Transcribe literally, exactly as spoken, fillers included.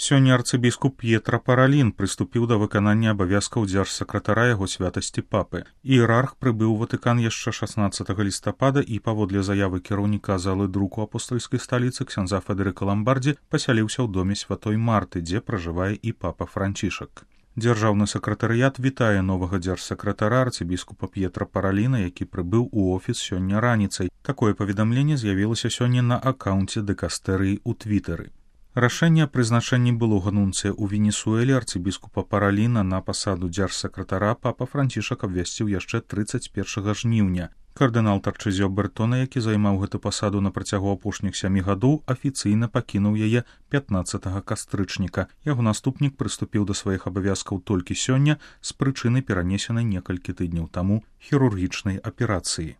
Сёння арцыбіскуп П'етра Паралін прыступіў да выканання абавязкаў дзяржсакратара яго святасці папы. Іерарх прыбыў у Ватыкан яшчэ шаснаццатага лістапада і, паводле заявы кіраўніка залы друку апостальскай сталіцы ксяндза Федэрыка Ламбардзі, пасяліўся ў доме святой Марты, дзе пражывае і папа Францішак. Дзяржаўны сакратарыят вітае новага дзяржсакратара арцыбіскупа П'етра Параліна, які прыбыў у офіс сёння раніцай. Такое паведамленне з'явілася сёння на акаунце дэкастэрыі ў твітары. Рашэнне аб прызначэнні былога нунцыя ў Венесуэле арцыбіскупа Параліна на пасаду дзяржсакратара папа Францішак абвясціў яшчэ трыццаць першага жніўня. Кардынал Тарчызіо Бертона, які займаў гэту пасаду на працягу апошніх сямі гадоў, афіцыйна пакінуў яе пятнаццатага кастрычніка. Яго наступнік прыступіў да сваіх абавязкаў толькі сёння з прычыны перанесенай некалькі тыдняў таму хірургічнай аперацыі.